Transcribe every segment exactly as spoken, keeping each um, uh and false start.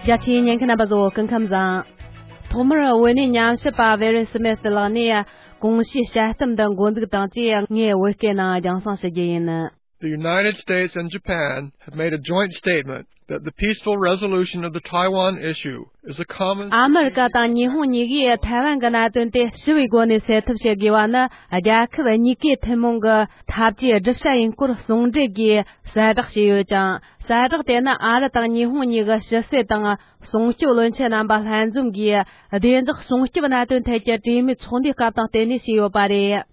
རྒྱ་ཆེའི་ཉན་མཁན་རྣམ་པ་ཚོ་སྐུ་ཁམས་བཟང་། ཐོག་མར་བོད་གནས་ཉམས་ཞིབ་པ་ཝེ་རན་སི་མེ་ཏི་ལགས་ནས་གོང་ཞུས་དཔྱད་གཏམ་འདི་འགོ་འཛུགས་དང་བཅས། ངས་བོད་སྐད་ནང་རྒྱང་སྲིང་ཞུ་རྒྱུ་ཡིན། The United States and Japan have made a joint statement that the peaceful resolution of the Taiwan issue is a common ཨ་མི་རི་ཀ་དང་ཉི་ཧོང་གཉིས་ཀས་ཐའེ་ཝན་གྱི་གནད་དོན་དེ་ཞི་བའི་སྒོ་ནས་སེལ་ཐབས་བྱེད་དགོས་པ་ནི། རྒྱལ་ཁབ་གཉིས་ཀའི་ཐུན་མོང་གི་འཐབ་ཇུས་བསྒྲུབ་བྱ་ཡིན་སྐོར་ཟུང་འབྲེལ་གྱིས་གསལ་བསྒྲགས་བྱས་ཡོད་ཅིང་། གསལ་བསྒྲགས་དེ་ནི་ཨ་རི་དང་ཉི་ཧོང་གཉིས་ཀྱི་ཕྱི་སྲིད་དང་སྲུང་སྐྱོབ་བློན་ཆེན་རྣམ་པ་ལྷན་འཛོམས་ཀྱིས་བདེ་འཇགས་སྲུང་སྐྱོབ་གནད་དོན་ཐད་ཀྱི་གྲོས་མོལ་ཚོགས་འདུའི་སྐབས་དང་བསྟུན་ནས་བྱས་ཡོད་པ་རེད།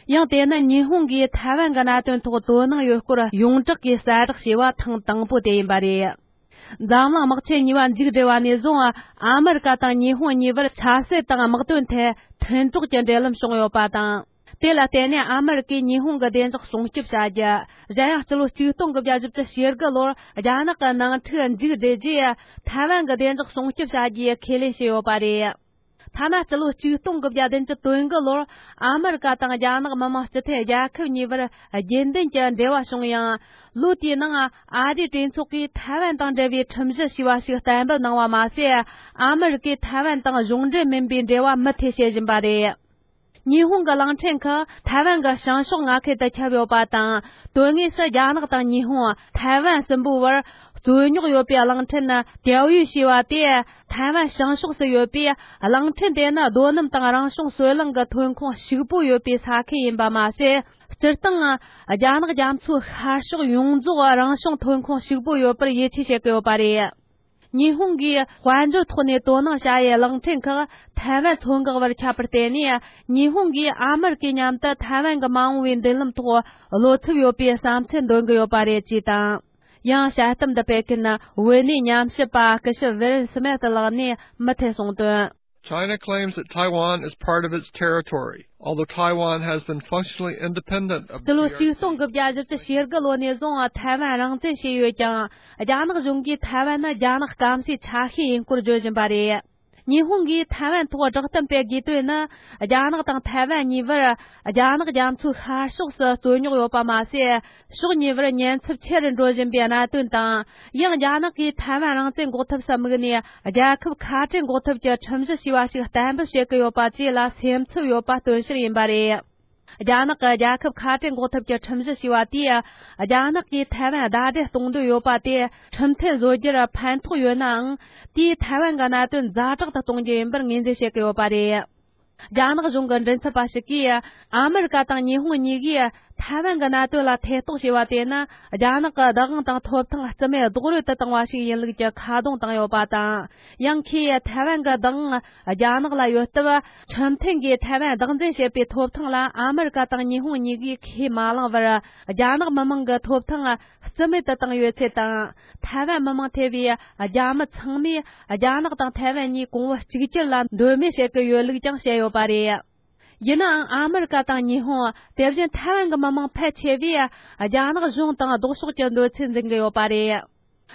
ཡང་དེ་ནི་ཉི་ཧོང་གིས་ཐའེ་ཝན་གྱི་གནད་དོན་ཐོག་དོ་སྣང་ཡོད་སྐོར་ཡོངས་གྲགས་ཀྱིས་གསལ་བསྒྲགས་བྱས་པ་ཐེངས་དང་པོ་དེ་ཡིན་པ་རེད། འཛམ་གླིང་དམག་ཆེན་གཉིས་པ་མཇུག་བསྒྲིལ་བ་ནས་བཟུང་། ཨ་མི་རི་ཀ་དང་ཉི་ཧོང་གཉིས་བར་ཆབ་སྲིད་དང་དམག་དོན་ཐད་མཐུན་གྲོགས་ཀྱི་འབྲེལ་ལམ་བྱུང་ཡོད་པ་དང་། དེ་ལ་བརྟེན་ནས་ཨ་མི་རི་ཀས་ཉི་ཧོང་གི་བདེ་འཇགས་སྲུང་སྐྱོབ་བྱ་རྒྱུ། གཞན་ཡང་སྤྱི་ལོ་ཆིག་སྟོང་དགུ་བརྒྱ་བཞི་བཅུ་ཞེ་དགུ་ལོར་རྒྱ་ནག་གི་ནང་འཁྲུག་མཇུག་བསྒྲིལ་རྗེས། ཐའེ་ཝན་གྱི་བདེ་འཇགས་སྲུང་སྐྱོབ་བྱ་རྒྱུའི་ཁས་ལེན་བྱས་ཡོད་པ་རེད། ཐ་ན་སྤྱི་ལོ་ཆིག་སྟོང་དགུ་བརྒྱ་བདུན་ཅུ་དོན་དགུ་ལོར་ཨ་མི་རི་ཀ་དང་རྒྱ་ནག་མི་དམངས་སྤྱི་མཐུན་རྒྱལ་ཁབ་གཉིས་བར་རྒྱུན་ལྡན་གྱི་འབྲེལ་བ་བྱུང་ཡང་། ལོ་དེའི་ནང་ཨ་རིའི་གྲོས་ཚོགས་ཀྱིས་ཐའེ་ཝན་དང་འབྲེལ་བའི་ཁྲིམས་གཞི་ཞེས་པ་ཞིག་གཏན་འབེབས་གནང་བ་མ་ཟད། ཨ་མི་རི་ཀས་ཐའེ་ཝན་དང་གཞུང་འབྲེལ་མིན་པའི་འབྲེལ་བ་མུ་མཐུད་བྱེད་བཞིན་པ་རེད། ཉི་ཧོང་གི་གླིང་ཕྲན་ཁག་ཐའེ་ཝན་གྱི་བྱང་ཕྱོགས་མངའ་ཁུལ་དུ་ཁྱབ་ཡོད་པ་དང་། དོན་དངོས་སུ་རྒྱ་ནག་དང་ཉི་ཧོང་། ཐའེ་ཝན་གསུམ་པོའི་བར་རྩོད་རྙོག་ཡོད་པའི་གླིང་ཕྲན་ནི་ཏེའོ་ཡུས་ཞེས་པ་དེ་ཐའེ་ཝན་བྱང་ཕྱོགས་སུ་ཡོད་པས། གླིང་ཕྲན་དེ་ནི་རྡོ་སྣུམ་དང་རང་བྱུང་སོལ་རླངས་ཀྱི་ཐོན་ཁུངས་ཕྱུག་པོ་ཡོད་པའི་ས་ཁུལ་ཡིན་པ་མ་ཟད། སྤྱིར་བཏང་རྒྱ་ནག་རྒྱ་མཚོའི་ཤར་ཕྱོགས་ཡོངས་རྫོགས་རང་བྱུང་ཐོན་ཁུངས་ཕྱུག་པོ་ཡོད་པར་ཡིད་ཆེས་བྱེད་ཀྱི་ཡོད་པ་རེད། ཉི་ཧོང་གིས་དཔལ་འབྱོར་ཐོག་ནས་དོ་སྣང་བྱ་ཡུལ་གླིང་ཕྲན་ཁག་ཐའེ་ཝན་མཚོ་འགག་བར་ཁྱབ་པར་བརྟེན་ནས། ཉི་ཧོང་གིས་ཨ་མི་རི་ཀའི་མཉམ་དུ་ཐའེ་ཝན་གྱི་མ་འོངས་པའི་མདུན་ལམ་ཐོག་བློ་འཚབ་ཡོད་པའི་བསམ་ཚུལ་འདོན་གྱི་ཡོད་པ་རེད་ཅེས་དང་། ཡང་དཔྱད་གཏམ་འདི་སྤེལ་མཁན་བོད་གནས་ཉམས་ཞིབ་པ་སྐུ་ཞབས་ཝེ་རན་སི་མེ་ཏི་ལགས་ནས་མུ་མཐུད་གསུངས་དོན། China claims that Taiwan is part of its territory, although Taiwan has been functionally independent of the སྤྱི་ལོ་ཆིག་སྟོང་དགུ་བརྒྱ་བཞི་བཅུ་ཞེ་དགུ་ལོ་ནས་བཟུང་ཐའེ་ཝན་རང་བཙན་བྱས་ཡོད་ཀྱང་། རྒྱ་ནག་གཞུང་གིས་ཐའེ་ཝན་ནི་རྒྱ་ནག་སྐམ་སའི་ཆ་ཤས་ཡིན་སྐོར་བརྗོད་བཞིན་པ་རེད། ཉི་ཧོང་གིས་ཐའེ་ཝན་ཐོག་བསྒྲགས་གཏམ་སྤེལ་དགོས་དོན་ནི། རྒྱ་ནག་དང་ཐའེ་ཝན་གཉིས་བར་རྒྱ་ནག་རྒྱ་མཚོའི་ཤར་ཕྱོགས་སུ་རྩོད་རྙོག་ཡོད་པ་མ་ཟད། ཕྱོགས་གཉིས་བར་ཉེན་ཚབས་ཆེ་རུ་འགྲོ་བཞིན་པའི་གནད་དོན་དང་། ཡང་རྒྱ་ནག་གིས་ཐའེ་ཝན་རང་བཙན་འགོག་ཐབས་སུ་དམིགས་ནས། རྒྱལ་ཁབ་ཁ་བྲལ་འགོག་ཐབས་ཀྱི་ཁྲིམས་གཞི་ཞེས་པ་ཞིག་གཏན་འབེབས་བྱེད་ཀྱི་ཡོད་པ་བཅས་ལ་སེམས་འཚབ་ཡོད་པ་སྟོན་ཕྱིར་ཡིན་པ་རེད། རྒྱ་ནག་གི་རྒྱལ་ཁབ་ཁ་བྲལ་འགོག་ཐབས་ཀྱི་ཁྲིམས་གཞི་ཞེས་པ་དེས། རྒྱ་ནག་གིས་ཐའེ་ཝན་ཟླ་སྒྲིལ་གཏོང་འདོད་ཡོད་པ་དེ་ཁྲིམས་མཐུན་བཟོ་རྒྱུར་ཕན་ཐོགས་ཡོད་ནའང་། དེས་ཐའེ་ཝན་གྱི་གནད་དོན་ཛ་དྲག་ཏུ་གཏོང་རྒྱུ་ཡིན་པར་ངོས་འཛིན་བྱེད་ཀྱི་ཡོད་པ་རེད། རྒྱ་ནག་གཞུང་གི་མགྲིན་ཚབ་པ་ཞིག་གིས། ཨ་མི་རི་ཀ་དང་ཉི་ཧོང་གཉིས་ཀས་ཐའེ་ཝན་གྱི་གནད་དོན་ལ་ཐེ་གཏོགས་བྱས་པ་དེ་ནི། རྒྱ་ནག་གི་བདག་དབང་དང་ཐོབ་ཐང་རྩིས་མེད་རྡོག་རོལ་དུ་བཏང་བ་ཞིག་ཡིན་ལུགས་ཀྱི་ཁ་རྡུང་བཏང་ཡོད་པ་དང་། ཡང་ཁོས་ཐའེ་ཝན་གྱི་བདག་དབང་རྒྱ་ནག་ལ་ཡོད་སྟབས། ཁྲིམས་མཐུན་གྱིས་ཐའེ་ཝན་བདག་འཛིན་བྱེད་པའི་ཐོབ་ཐང་ལ་ཨ་མི་རི་ཀ་དང་ཉི་ཧོང་གཉིས་ཀས་ཁས་མ་བླངས་པར། རྒྱ་ནག་མི་དམངས་ཀྱི་ཐོབ་ཐང་རྩིས་མེད་དུ་བཏང་ཡོད་ཚུལ་དང་། ཐའེ་ཝན་མི་མང་ཐེ་བའི་རྒྱ་མི་ཚང་མས་རྒྱ་ནག་དང་ཐའེ་ཝན་གཉིས་གོང་བུ་གཅིག་གྱུར་ལ་འདོད་མོས་བྱེད་ཀྱི་ཡོད་ལུགས་ཀྱང་བཤད་ཡོད་པ་རེད། ཡིན་ནའང་ཨ་མི་རི་ཀ་དང་ཉི་ཧོང་། དེ་བཞིན་ཐའེ་ཝན་གྱི་མི་མང་ཕལ་ཆེ་བས་རྒྱ་ནག་གཞུང་དང་ལྡོག་ཕྱོགས་ཀྱི་འདོད་ཚུལ་འཛིན་གྱི་ཡོད་པ་རེད།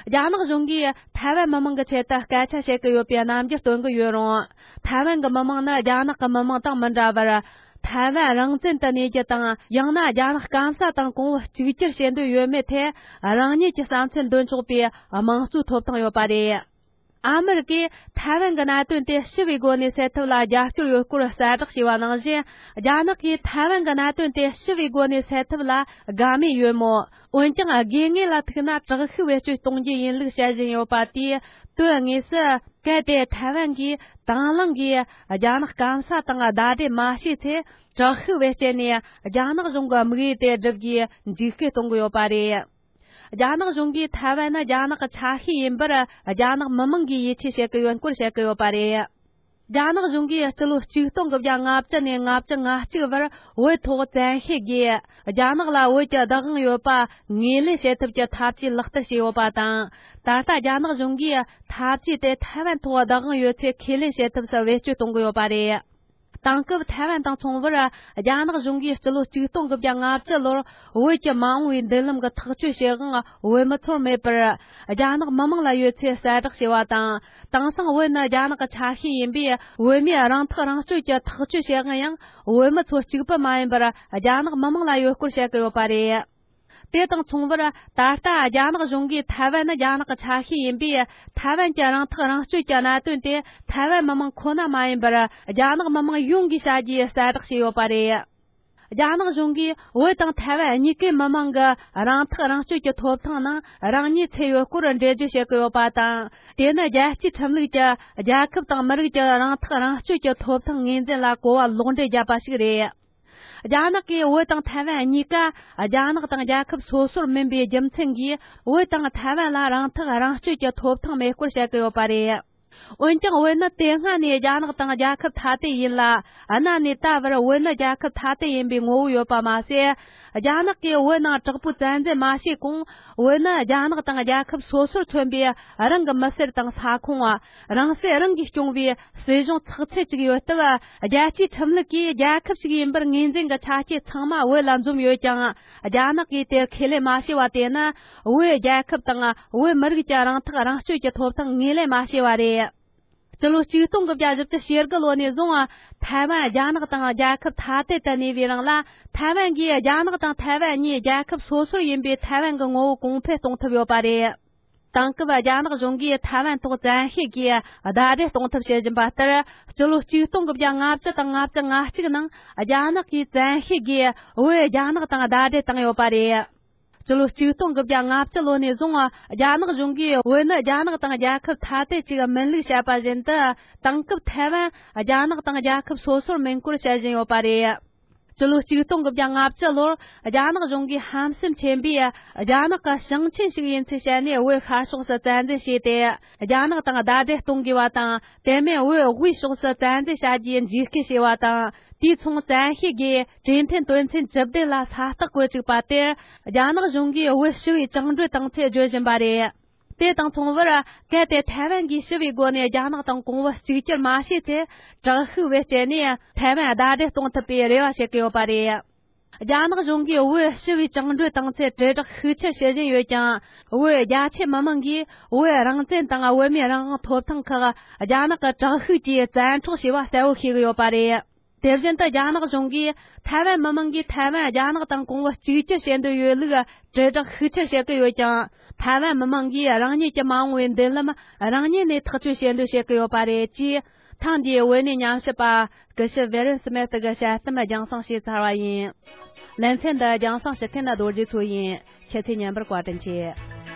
རྒྱ་ནག་གཞུང་གིས་ཐའེ་ཝན་མི་མང་གི་ཆེད་དུ་སྐད་ཆ་བཤད་ཀྱི་ཡོད་པའི་རྣམ་འགྱུར་སྟོན་གྱི་ཡོད་རུང་། ཐའེ་ཝན་གྱི་མི་མང་ནི་རྒྱ་ནག་གི་མི་མང་དང་མི་འདྲ་བར། ཐའེ་ཝན་རང་བཙན་དུ་གནས་རྒྱུ་དང་། ཡང་ན་རྒྱ་ནག་སྐམ་ས་དང་གོང་བུ་གཅིག་གྱུར་བྱེད་འདོད་ཡོད་མེད་ཐད། རང་ཉིད་ཀྱི་བསམ་ཚུལ་འདོན་ཆོག་པའི་དམངས་གཙོའི་ཐོབ་ཐང་ཡོད་པ་རེད། ཨ་མི་རི་ཀས་ཐའེ་ཝན་གྱི་གནད་དོན་དེ་ཞི་བའི་སྒོ་ནས་སེལ་ཐབས་ལ་རྒྱབ་སྐྱོར་ཡོད་སྐོར་གསལ་བསྒྲགས་བྱས་པ་ནང་བཞིན། རྒྱ་ནག་གིས་ཐའེ་ཝན་གྱི་གནད་དོན་དེ་ཞི་བའི་སྒོ་ནས་སེལ་ཐབས་ལ་དགའ་མོས་ཡོད་མོད། འོན་ཀྱང་། དགོས་ངེས་ལ་ཐུག་ན་དྲག་ཤུགས་བེད་སྤྱོད་གཏོང་རྒྱུ་ཡིན་ལུགས་བཤད་བཞིན་ཡོད་པ་དེས། དོན་དངོས་སུ། གལ་ཏེ་ཐའེ་ཝན་གྱིས་དང་བླངས་ཀྱིས་རྒྱ་ནག་སྐམ་ས་དང་ཟླ་སྒྲིལ་མ་བྱས་ཚེ། དྲག་ཤུགས་བེད་སྤྱད་ནས་རྒྱ་ནག་གཞུང་གི་དམིགས་ཡུལ་དེ་བསྒྲུབ་རྒྱུའི་འཇིགས་སྐུལ་གཏོང་གི་ཡོད་པ་རེད། རྒྱ་ནག་གཞུང་གིས་ཐའེ་ཝན་ནི་རྒྱ་ནག་གི་ཆ་ཤས་ཡིན་པར་རྒྱ་ནག་མི་མང་གིས་ཡིད་ཆེས་བྱེད་ཀྱི་ཡོད་སྐོར་བཤད་ཀྱི་ཡོད་པ་རེད། རྒྱ་ནག་གཞུང་གིས་སྤྱི་ལོ་ཆིག་སྟོང་དགུ་བརྒྱ་ལྔ་བཅུ་ནས་ལྔ་བཅུ་ང་གཅིག་བར་བོད་ཐོག་བཙན་ཤེད་ཀྱིས་རྒྱ་ནག་ལ་བོད་ཀྱི་བདག་དབང་ཡོད་པ་ངོས་ལེན་བྱེད་ཐབས་ཀྱི་འཐབ་ཇུས་ལག་བསྟར་བྱས་ཡོད་པ་དང་། ད་ལྟ་རྒྱ་ནག་གཞུང་གིས་འཐབ་ཇུས་དེ་ཐའེ་ཝན་ཐོག་བདག་དབང་ཡོད་ཚུལ་ཁས་ལེན་བྱེད་ཐབས་སུ་བེད་སྤྱོད་གཏོང་གི་ཡོད་པ་རེད། དེང་སྐབས་ཐའེ་ཝན་དང་མཚུངས་པར། རྒྱ་ནག་གཞུང་གིས་སྤྱི་ལོ་ཆིག་སྟོང་དགུ་བརྒྱ་ལྔ་བཅུ་ལོར་བོད་ཀྱི་མ་འོངས་པའི་མདུན་ལམ་གྱི་ཐག་གཅོད་བྱེད་དབང་བོད་མི་ཚོར་མེད་པར། རྒྱ་ནག་མི་དམངས་ལ་ཡོད་ཚུལ་གསལ་བསྒྲགས་བྱས་པ་དང་། དེང་སང་བོད་ནི་རྒྱ་ནག་གི་ཆ་ཤས་ཡིན་པས། བོད་མིའི་རང་ཐག་རང་གཅོད་ཀྱི་ཐག་གཅོད་བྱེད་དབང་ཡང་བོད་མི་ཚོ་གཅིག་པུ་མ་ཡིན་པར། རྒྱ་ནག་མི་དམངས་ལ་ཡོད་སྐོར་བཤད་ཀྱི་ཡོད་པ་རེད། དེ་དང་མཚུངས་པར། ད་ལྟ་རྒྱ་ནག་གཞུང་གིས་ཐའེ་ཝན་ནི་རྒྱ་ནག་གི་ཆ་ཤས་ཡིན་པས། ཐའེ་ཝན་གྱི་རང་ཐག་རང་གཅོད་ཀྱི་གནད་དོན་དེ་ཐའེ་ཝན་མི་མང་ཁོ་ན་མ་ཡིན་པར། རྒྱ་ནག་མི་མང་ཡོངས་ཀྱིས་བྱ་རྒྱུའི་གསལ་བསྒྲགས་བྱས་ཡོད་པ་རེད། རྒྱ་ནག་གཞུང་གིས་བོད་དང་ཐའེ་ཝན་གཉིས་ཀའི་མི་མང་གི་རང་ཐག་རང་གཅོད་ཀྱི་ཐོབ་ཐང་ནང་རང་ཉིད་ཚུད་ཡོད་སྐོར་འགྲེལ་བརྗོད་བྱེད་ཀྱི་ཡོད་པ་དང་། དེ་ནི་རྒྱལ་སྤྱིའི་ཁྲིམས་ལུགས་ཀྱི་རྒྱལ་ཁབ་དང་མི་རིགས་ཀྱི་རང་ཐག་རང་གཅོད་ཀྱི་ཐོབ་ཐང་ངོས་འཛིན་ལ་གོ་བ་ལོག་འགྲེལ་བརྒྱབ་པ་ཞིག་རེད། རྒྱ་ནག་གིས་བོད་དང་ཐའེ་ཝན་གཉིས་ཀ་རྒྱ་ནག་དང་རྒྱལ་ཁབ་སོ་སོར་མིན་པའི་རྒྱུ་མཚན་གྱིས། བོད་དང་ཐའེ་ཝན་ལ་རང་ཐག་རང་གཅོད་ཀྱི་ཐོབ་ཐང་མེད་སྐོར་བཤད་ཀྱི་ཡོད་པ་རེད། འོན་ཀྱང་། བོད་ནི་དེ་སྔ་ནས་རྒྱ་ནག་དང་རྒྱལ་ཁབ་ཐ་དད་ཡིན་ལ། གནའ་ནས་ད་བར་བོད་ནི་རྒྱལ་ཁབ་ཐ་དད་ཡིན་པའི་ངོ་བོ་ཡོད་པ་མ་ཟད། རྒྱ་ནག་གིས་བོད་ནང་དྲག་པོའི་བཙན་འཛུལ་མ་བྱས་གོང་། བོད་ནི་རྒྱ་ནག་དང་རྒྱལ་ཁབ་སོ་སོར་མཚོན་པའི་རང་གི་མི་སེར་དང་ས་ཁོངས། རང་སྲིད་རང་གིས་སྐྱོང་བའི་སྲིད་གཞུང་ཚགས་ཚུད་ཅིག་ཡོད་སྟབས། རྒྱལ་སྤྱིའི་ཁྲིམས་ལུགས་ཀྱིས་རྒྱལ་ཁབ་ཞིག་ཡིན་པར་ངོས་འཛིན་གྱི་ཆ་རྐྱེན་ཚང་མ་བོད་ལ་འཛོམས་ཡོད་ཀྱང་། རྒྱ་ནག་གིས་དེར་ཁས་ལེན་མ་བྱས་པ་དེ་ནི། བོད་རྒྱལ་ཁབ་དང་བོད་མི་རིགས་ཀྱི་རང་ཐག་རང་གཅོད་ཀྱི་ཐོབ་ཐང་ངོས་ལེན་མ་བྱས་པ་རེད། སྤྱི་ལོ་ཆིག་སྟོང་དགུ་བརྒྱ་བཞི་བཅུ་ཞེ་དགུ་ལོ་ནས་བཟུང་། ཐའེ་ཝན་རྒྱ་ནག་དང་རྒྱལ་ཁབ་ཐ་དད་དུ་གནས་པའི་རིང་ལ། ཐའེ་ཝན་གྱིས་རྒྱ་ནག་དང་ཐའེ་ཝན་གཉིས་རྒྱལ་ཁབ་སོ་སོར་ཡིན་པའི་ཐའེ་ཝན་གྱི་ངོ་བོ་གོང་འཕེལ་གཏོང་ཐུབ་ཡོད་པ་རེད། དེང་སྐབས་རྒྱ་ནག་གཞུང་གིས་ཐའེ་ཝན་ཐོག་བཙན་ཤེད་ཀྱིས་ཟླ་སྒྲིལ་གཏོང་ཐབས་བྱེད་བཞིན་པ་ལྟར། སྤྱི་ལོ་ཆིག་སྟོང་དགུ་བརྒྱ་ལྔ་བཅུ་དང་ལྔ་བཅུ་ང་གཅིག་ནང་། རྒྱ་ནག་གིས་བཙན་ཤེད་ཀྱིས་བོད་རྒྱ་ནག་དང་ཟླ་སྒྲིལ་བཏང་ཡོད་པ་རེད། སྤྱི་ལོ་ཆིག་སྟོང་དགུ་བརྒྱ་ལྔ་བཅུ་ལོ་ནས་བཟུང་། རྒྱ་ནག་གཞུང་གིས་བོད་ནི་རྒྱ་ནག་དང་རྒྱལ་ཁབ་ཐ་དད་ཅིག་མིན་ལུགས་བཤད་པ་བཞིན་དུ། དེང་སྐབས་ཐའེ་ཝན་རྒྱ་ནག་དང་རྒྱལ་ཁབ་སོ་སོར་མིན་སྐོར་བཤད་བཞིན་ཡོད་པ་རེད། སྤྱི་ལོ་ཆིག་སྟོང་དགུ་བརྒྱ་ལྔ་བཅུ་ལོར། རྒྱ་ནག་གཞུང་གིས་ཧམ་སེམས་ཆེན་པོས། རྒྱ་ནག་གི་ཞིང་ཆེན་ཞིག་ཡིན་ཚུལ་བཤད་ནས། བོད་ཤར་ཕྱོགས་སུ་བཙན་འཛུལ་བྱས་ཏེ། རྒྱ་ནག་དང་ཟླ་སྒྲིལ་གཏོང་དགོས་པ་དང་། དེ་མིན་བོད་དབུས་ཕྱོགས་སུ་བཙན་འཛུལ་བྱ་རྒྱུའི་འཇིགས་སྐུལ་བྱས་པ་དང་། དུས་མཚུངས་བཙན་ཤེད་ཀྱིས་གྲོས་མཐུན་དོན་ཚན་བཅུ་བདུན་ལ་ས་རྟགས་བཀོད་བཅུག་པ་དེར། རྒྱ་ནག་གཞུང་གིས་བོད་ཞི་བའི་བཅིངས་འགྲོལ་བཏང་ཚུལ་བརྗོད་བཞིན་པ་རེད། དེ་དང་མཚུངས་པར། གལ་ཏེ་ཐའེ་ཝན་གྱིས་ཞི་བའི་སྒོ་ནས་རྒྱ་ནག་དང་གོང་བུ་གཅིག་གྱུར་མ་བྱས་ཚེ། དྲག་ཤུགས་བེད་སྤྱད་ནས་ཐའེ་ཝན་ཟླ་སྒྲིལ་གཏོང་ཐུབ་པའི་རེ་བ་བྱེད་ཀྱི་ཡོད་པ་རེད། རྒྱ་ནག་གཞུང་གིས་བོད་ཞི་བའི་བཅིངས་འགྲོལ་བཏང་ཚུལ་དྲིལ་བསྒྲགས་ཤུགས་ཆེར་བྱེད་བཞིན་ཡོད་ཀྱང་། བོད་རྒྱ་ཆེ་མི་མང་གིས་བོད་རང་བཙན་དང་བོད་མིའི་རང་དབང་ཐོབ་ཐང་ཁག་རྒྱ་ནག་གི་དྲག་ཤུགས་ཀྱིས་བཙན་འཕྲོག་བྱས་པ་གསལ་བོ་ཤེས་ཀྱི་ཡོད་པ་རེད། དེ་བཞིན་དུ། རྒྱ་ནག་གཞུང་གིས་ཐའེ་ཝན་མི་མང་གིས་ཐའེ་ཝན་རྒྱ་ནག་དང་གོང་བུ་གཅིག་གྱུར་བྱེད་འདོད་ཡོད་ལུགས་དྲིལ་བསྒྲགས་ཤུགས་ཆེར་བྱེད་ཀྱི་ཡོད་ཀྱང་། ཐའེ་ཝན་མི་མང་གིས་རང་ཉིད་ཀྱི་མ་འོངས་པའི་མདུན་ལམ་རང་ཉིད་ནས་ཐག་གཅོད་བྱེད་འདོད་བྱེད་ཀྱི་ཡོད་པ་རེད། ཅེས། ཐེངས་འདིའི་བོད་གནས་ཉམས་ཞིབ་པ་སྐུ་ཞབས་བེ་རན་སི་མེ་ཏི་གི་དཔྱད་གཏམ་རྒྱང་སྲིང་བྱས་ཚར་བ་ཡིན། ལེ་ཚན་འདི་རྒྱང་སྲིང་ཞུ་མཁན་རྡོ་རྗེ་མཚོ་ཡིན། ཁྱེད་ཚོས་ཉན་པར་བཀའ་དྲིན་ཆེ།